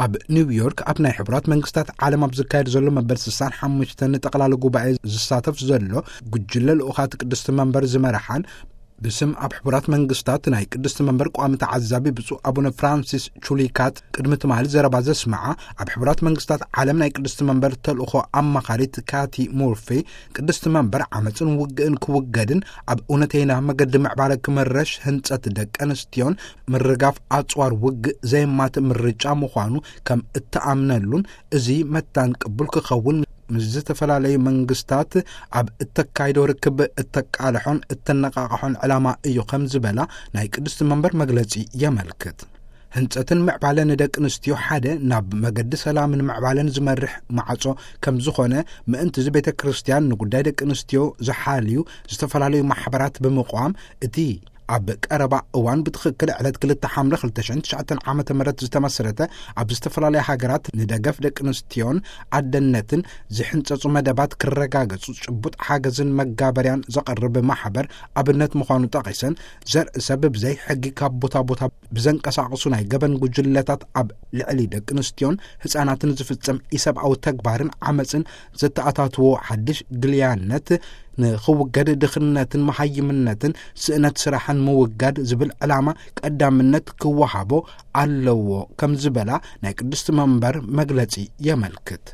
ኣብ ኒውዮርክ ኣብ ናይ ሕቡራት መንግስታት ዓለም ኣብ ዝካየድ ዘሎ መበል ስሳን ሓሙሽተን ጠቕላሊ ጉባኤ ዝሳተፍ ዘሎ ጉጅለ ልኡኻት ቅድስቲ መንበር ዝመርሓን፣ ብስም ኣብ ሕቡራት መንግስታት ናይ ቅድስቲ መንበር ቋሚ ተዓዛቢ ብፁዕ ኣቡነ ፍራንሲስ ቹሊካት ቅድሚ ትማሊ ዘረባ ዘስምዓ፣ ኣብ ሕቡራት መንግስታት ዓለም ናይ ቅድስቲ መንበር ተልእኾ ኣማኻሪት ካቲ ሙርፊ፣ ቅድስቲ መንበር ዓመፅን ውግእን ክውገድን ኣብ እውነተይና መገዲ ምዕባለ ክምረሽ ህንፀት ደቂ ኣንስትዮን ምርጋፍ ኣፅዋር ውግእ ዘየማትእ ምርጫ ምዃኑ ከም እትኣምነሉን፣ እዚ መታን ቅቡል ክኸውን ምስ ዝተፈላለዩ መንግስታት ኣብ እተካይዶ ርክብ እተቃልሖን እተነቃቅሖን ዕላማ እዩ ከም ዝበላ ናይ ቅድስቲ መንበር መግለጺ የመልክት። ህንጸትን ምዕባለን ደቂ ኣንስትዮ ሓደ ናብ መገዲ ሰላምን ምዕባለን ዝመርሕ ማዕጾ ከም ዝኾነ፣ ምእንቲ እዚ ቤተ ክርስቲያን ንጉዳይ ደቂ ኣንስትዮ ዝሓልዩ ዝተፈላለዩ ማሕበራት ብምቋም፣ እቲ ኣብ ቀረባ እዋን ብትኽክል ዕለት ክልተ ሓምለ ክልተ ሽሕን ትሽዓተን ዓመተ ምህረት ዝተመስረተ፣ ኣብ ዝተፈላለያ ሃገራት ንደገፍ ደቂ ኣንስትዮን ኣደነትን ዝሕንጸጹ መደባት ክረጋገጹ ጭቡጥ ሓገዝን መጋበርያን ዘቐርብ ማሕበር ኣብነት ምዃኑ ጠቒሰን፣ ዘርኢ ሰብ ብዘይ ሕጊ ካብ ቦታ ቦታ ብዘንቀሳቕሱ ናይ ገበን ጉጅለታት ኣብ ልዕሊ ደቂ ኣንስትዮን ህጻናትን ዝፍጸም ኢሰብኣዊ ተግባርን ዓመጽን ዘተኣታትዎ ሓድሽ ግልያነት ንኽውገድ፣ ድኽነትን መሃይምነትን ስእነት ስራሕን ምውጋድ ዝብል ዕላማ ቀዳምነት ክወሃቦ ኣለዎ ከም ዝበላ ናይ ቅድስቲ መንበር መግለጺ የመልክት።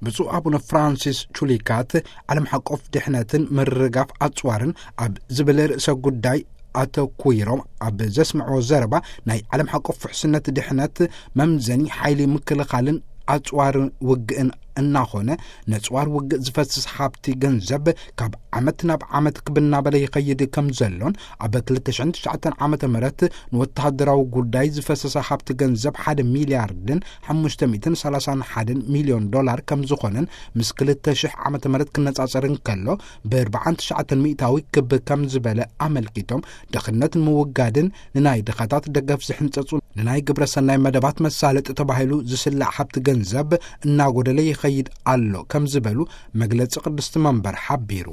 ብፁዕ ኣቡነ ፍራንሲስ ቹሊካት ዓለም ሓቆፍ ድሕነትን ምርጋፍ ኣጽዋርን ኣብ ዝብል ርእሰ ጉዳይ ኣተኲሮም ኣብ ዘስምዕዎ ዘረባ፣ ናይ ዓለም ሓቆፍ ውሕስነት ድሕነት መምዘኒ ሓይሊ ምክልኻልን ኣጽዋር ውግእን እናኾነ፣ ነጽዋር ውግእ ዝፈስስ ሃብቲ ገንዘብ ካብ ዓመት ናብ ዓመት ክብ እናበለ ይኸይድ ከም ዘሎን፣ ኣብ ክልተ ሽሕን ትሽዓተን ዓመተ ምህረት ንወተሃደራዊ ጉዳይ ዝፈሰሰ ሃብቲ ገንዘብ ሓደ ሚልያርድን ሓሙሽተ ሚእትን ሰላሳን ሓደን ሚልዮን ዶላር ከም ዝኾነን፣ ምስ ክልተ ሽሕ ዓመተ ምህረት ክነጻጸር እንከሎ ብኣርብዓን ትሽዓተን ሚእታዊ ክብ ከም ዝበለ ኣመልኪቶም፣ ድኽነት ንምውጋድን ንናይ ድኻታት ደገፍ ዝሕንጸጹ ንናይ ግብረ ሰናይ መደባት መሳለጢ ተባሂሉ ዝስላዕ ሃብቲ ገንዘብ እናጎደለ ይኸይድ ኣሎ ከም ዝበሉ መግለጺ ቅድስቲ መንበር ሓቢሩ።